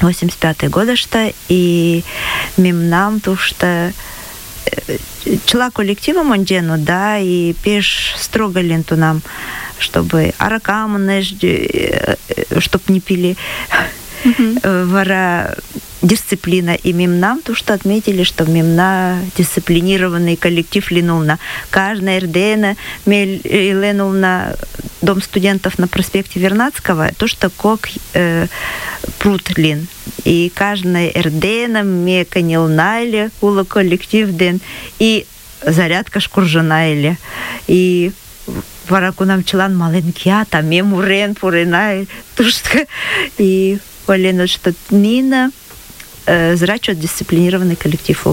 85-й годышта, и мемнам тушта чыла коллективом онжену, да, и пеш строго ленту нам, чтобы аракам, чтоб не пили, вара дисциплина. И мемнам то, что отметили, что мемна дисциплинированный коллектив линулна. Каждая РДН ленулна дом студентов на проспекте Вернадского, то, что кок прут лин. И каждая РДН меканилна или ула коллектив ден, и зарядка шкуржана или. И вараку нам челан маленькия, там мемурен, пурена, тушка. И Олена, что Нина зрачет дисциплинированный коллектив.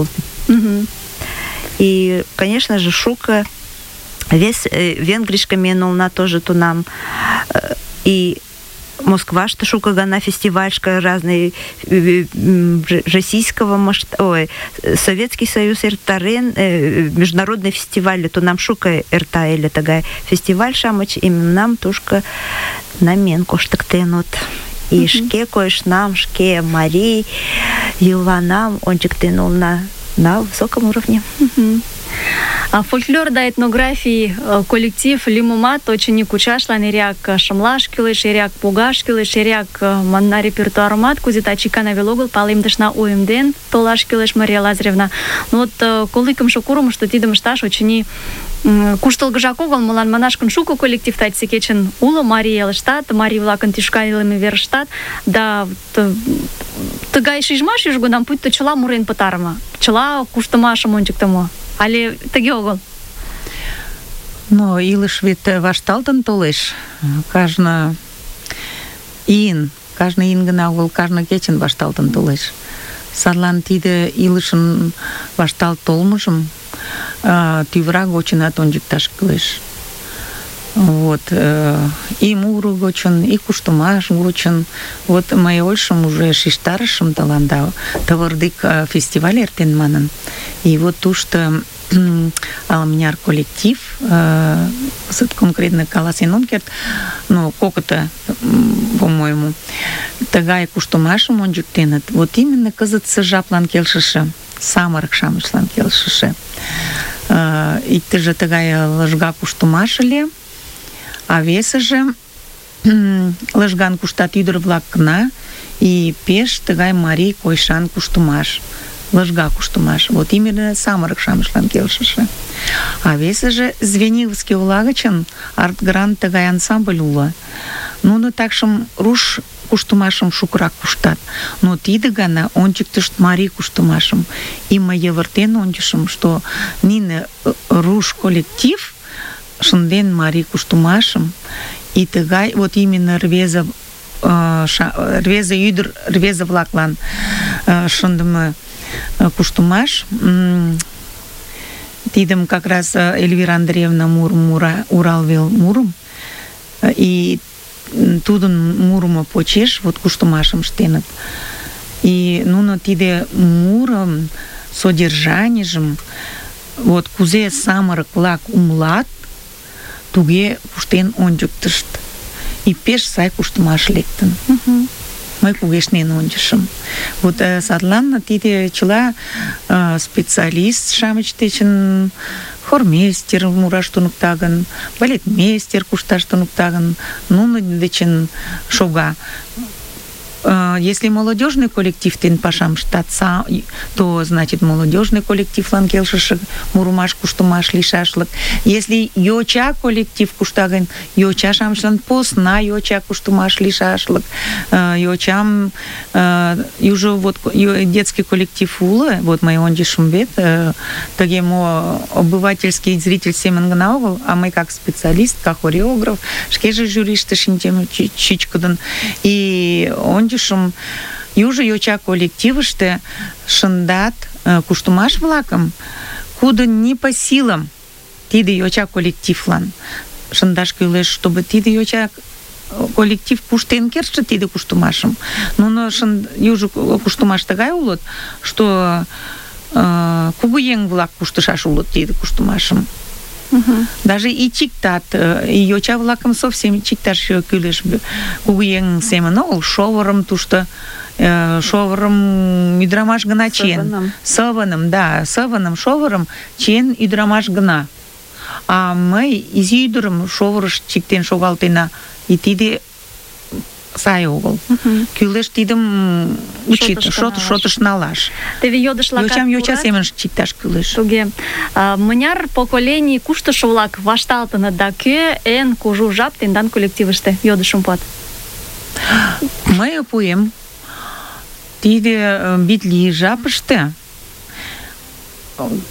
И, конечно же, шука весь венгришка менулна тоже то нам. И Москва, что шука гана фестивальшка разные российского масштаба, Советский Союз эртарен, международный фестиваль, то нам шука эрта или такая фестиваль шамач, и нам тушка намен коштактенут. И шке коеш нам, шке Марии, Юла нам, ончик тянул на высоком уровне. Фольклор да этнографий коллектив лӱмымат очыни кучашлан эреак шымлаш кӱлеш, эреак погаш кӱлеш, эреак манна репертуарымат кузе таче икана веле огыл палемдышна, уэмден толаш кӱлеш, Мария Лазаревна. Но вот коло икымше курымышто тидым ышташ очыни куштылгыжак огыл, молан манаш гын шуко коллектив таче кечын уло марий элыштат, марий-влакын тӱшка илыме верыштат, да тыгай шижмаш южгунам пуйто чыла мурен пытарыме, чыла куштымашым ончыктымо. Але тыге огыл? Но илыш вет вашталтын толеш. Кажне ийын гына огыл, кажне кечын вашталтын толеш. Садлан тиде илышын вашталт толмыжым тӱвра гочынат ончыкташ кӱлеш. Вот, и муро гочын, и куштымаш гочын. Вот мый ойшым уже шижтарышым тыланда, тывырдык фестиваль эртен манын. И вот тушто ала-мыняр коллектив, конкретно каласен ом керт, но кокыто, по-моему, тыгай куштымашым ончыктеныт. Вот именно кызытсе жаплан келшыше, самырык-шамычлан келшыше. Иктыже тыгай лыжга куштымаш ыле, а весыже лыжган куштат ӱдыр-влак гына, и пеш тыгай марий койшан куштымаш, лыжга куштымаш. Вот именно самырык-шамычлан келшыше. А весыже Звениговский ола гычын арт-грант тыгай ансамбль уло. Нуно такшым руш куштымашым шукырак куштат. Но тиде гана ончыктышт марий куштымашым. И мый йывыртен ончышым, что нине руш коллектив шынден марий куштымашым, и тыгай вот именно рвезе ӱдыр, рвезе-влаклан шындыме куштымаш. Тидым как раз Эльвира Андреевна мура, Уралвел мурым, и тудын мурымо почеш вот куштымашым ыштеныт. И нуно тиде мурым содержанийжым вот кузе самырык-влак умылат, туге куштен ончыктышт. И пеш сай куштымаш лектын. Мый кугешнен ончышым. Вот садлан тиде чыла специалист-шамыч дечын хормейстер мураш туныкта гын, балетмейстер кушташ туныкта гын, нуно дечын шога. Если молодежный коллектив тен пашам ыштат, то значит молодежный коллективлан келшыше мурымаш куштымаш лийшашлык. Если йоча коллектив кушта гын, йоча-шамычлан посна йоча куштымаш лийшашлык. Йочам южо вот детский коллектив уло, вот мый ончышым вет, тыге мо обывательский зритель семын гына огыл, а мый как специалист, как хореограф, шкеже жюриште шинчем чӱчкыдын. И ончышым, южо йоча коллективыште шындат куштымаш-влакым, кудын не по силам тиде йоча коллективлан шындаш кӱлеш, чтобы тиде йоча коллектив куштен кертше тиде куштымашым. Нуно южо куштымаш тыгай улыт, что кугыеҥ-влак куштышаш улыт тиде куштымашым. Даже и чиктат, и йоча-влакым совсем чикташ кӱлеш. Кугыеҥ семын огыл, шовырым тушто, шовырым ӱдырамаш гына чиен. Сывыным, да, сывыным, шовырым чиен ӱдырамаш гына. А мый изи ӱдырым шовырыш чиктен шогалтена, и тиде сай огыл. Кӱлеш тидым шотыш налаш. Теве йодышлакат йочам йоча семын чикташ кӱлеш. Туге. Мыняр поколений куштышо-влак вашталтыныт да кӧ эн кужу жап тендан коллективыште? Йодышым пуат. Мый пуэм. Тиде битли жапыште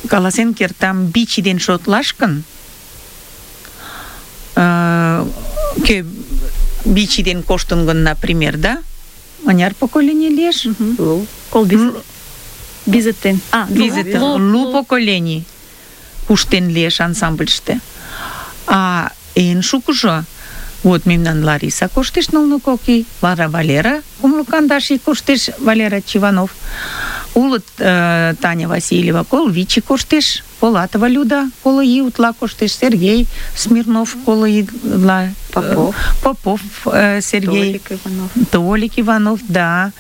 каласен кертам бичи ден шотлаш гын, кӧ бичи ден коштын гын, например, да? Мыняр поколений лиеш? Кол бизеттен. Лу поколений куштен лиеш ансамбльыште. А эн шукыжо, вот мемнан Лариса коштеш нылле кок ий, вара Валера кумло кандаш ий коштеш, Валера Чиванов. Улыт Таня Васильева коло вич ий коштеш, Полатова Люда коло ий утла коштеш, Сергей Смирнов коло ий утла, Попов Сергей, Толик Иванов, да.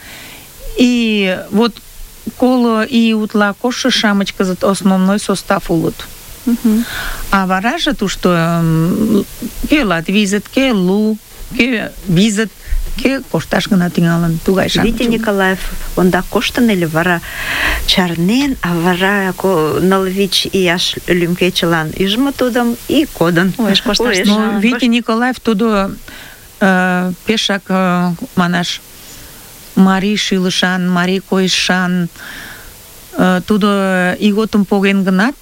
И вот коло ий утла коштшо-шамыч кызыт основной состав улыт. А вараже тушто кӧ латвизыт, кӧ лу, кӧ визыт, кӧ кошташ гына тӱҥалын. Тугай шамыч. Витя Николаев ондак коштын ыле, вара чарнен, а вара 4 ияш лӱмкечылан ӱжмӧ тудым и кодын. Уэш кошташ. Но Витя Николаев тудо пешак манаш марий шӱлышан, марий койышан, тудо ийготым поген гынат,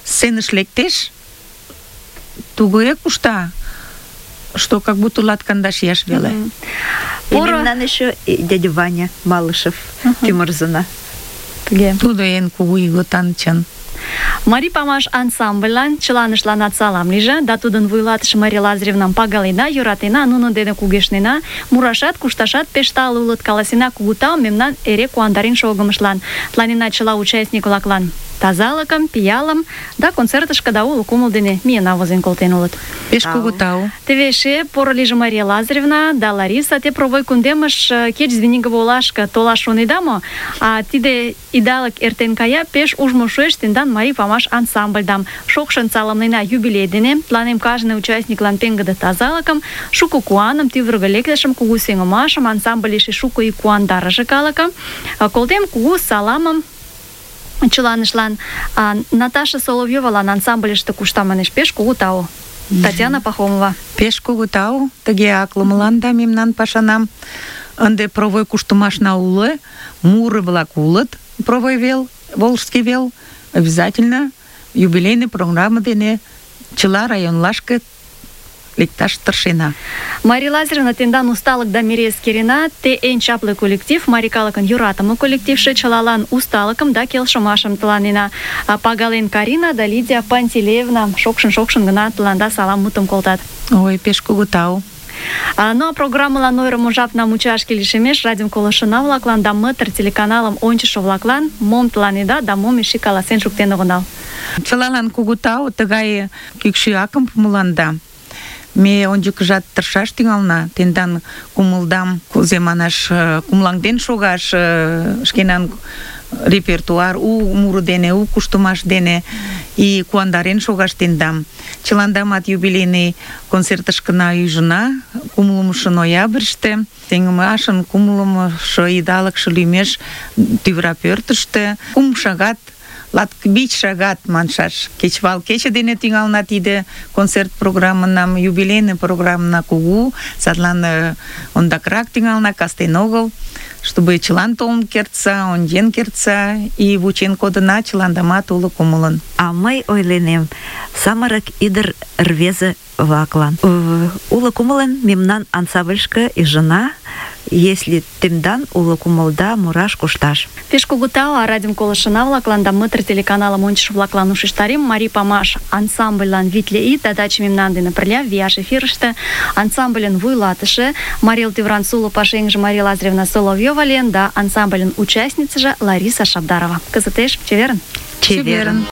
сценыш лектеш, тугыре кушта, что как будто 15 ияш веле. И мемнан еще дядя Ваня Малышев, Тимурзына. Тудо эн кугу ийготан чын. Марий памаш ансамбльлан чыланыштланат салам лийже, да тудын вуйлатыше Мария Лазаревнам пагалена, йӧратена, нунын дене кугешнена, мурашат, кушташат пеш тале улыт, каласена кугу таум мемнан эре куандарен шогымыштлан. Тланена чыла участник-влаклан тазалыкым, пиалым да концертышке да уло кумыл дене миена возен колтен улыт. Пеш кугу тау. Теве эше поро лийже Мария Лазаревна да Лариса, те провой кундемыш кеч Звенигово олашке толаш шонеда мо? А тиде идалык эртен кая, пеш ужмо шуэш тендан Марий памаш ансамбльдам. Шокшын саламлена юбилей дене, тланем кажне участниклан пеҥгыде тазалыкым, шуко куаным, тӱвыргӧ лектышым, кугу сеҥымашым, ансамбль эше шуко ий куандарыше калыкым. Колтем кугу саламым чыланышлан. Наташа Соловьёвалан ансамбльыште кушта манеш, пеш кугу тау. Татьяна Пахомова. Пеш кугу тау, тыге аклымыланда мемнан пашанам. Ынде провой куштымашна уло, муры-влак улыт, провой вел, Волжский вел, обязательно юбилейный программа дене чыла районлашке лекташ тыршена. Мария Лазаревна, тендан усталык да мире эскерена, те эн чапле коллектив, марий калыкын йӧратыме коллективше, чылалан усталыкым да келшымашым тыланена. Пагален Карина да Лидия Пантелеевна шокшын гына тыланда салам мутым колтат. Ой, пеш кугу тау. Ну а программылан ойырымо жапна мучашке лишемеш, радиом колышына-влаклан да мытыр телеканалым ончышо-влаклан мом тыланеда да мом эше каласен шуктен огынал. Чылалан кугу тау, тыгай кӱкшӱ акым пуымыланда. Ме ончыкыжат тыршаш тӱҥална, тендан кумылдам, кузе манаш, кумылаҥден шогаш, шкенан репертуар у муро дене, у куштымаш дене и куандарен шогаш тендам. Чыландамат юбилейный концертышкына ӱжына, 10 ноябрьыште, сеҥымашын 10-шо идалыкше лӱмеш тӱвра пӧртыштӧ 3 шагат, 5 шагат маншаш. Кечывал кече дене тӱҥална тиде концерт программынам, юбилейный программна кугу, садлан ондакрак тӱҥална, кастен огыл, чтобы чылан толын кертса, ончен кертса, и вучен кодына чыландамат уло кумылын. А мый ойленем, самырык ӱдыр рвезе-влаклан. Уло кумылын мемнан ансамбльышке ӱжына, если темдан уло кумылда мураш кушташ. Пеш кугу тау, а радиом колышына-влаклан да мытыр телеканалым ончышо-влаклан ушештарем, Марий памаш ансамбльлан витле ий тадаче мемнан дене пырля вияш эфирыште, ансамбльын вуйлатыше Мария Тевран Суло пашеҥже Мария Лазаревна Соловьёва лийын да ансамбльын участницыже Лариса Шабдарова. Кызытеш чеверын! Чеверын!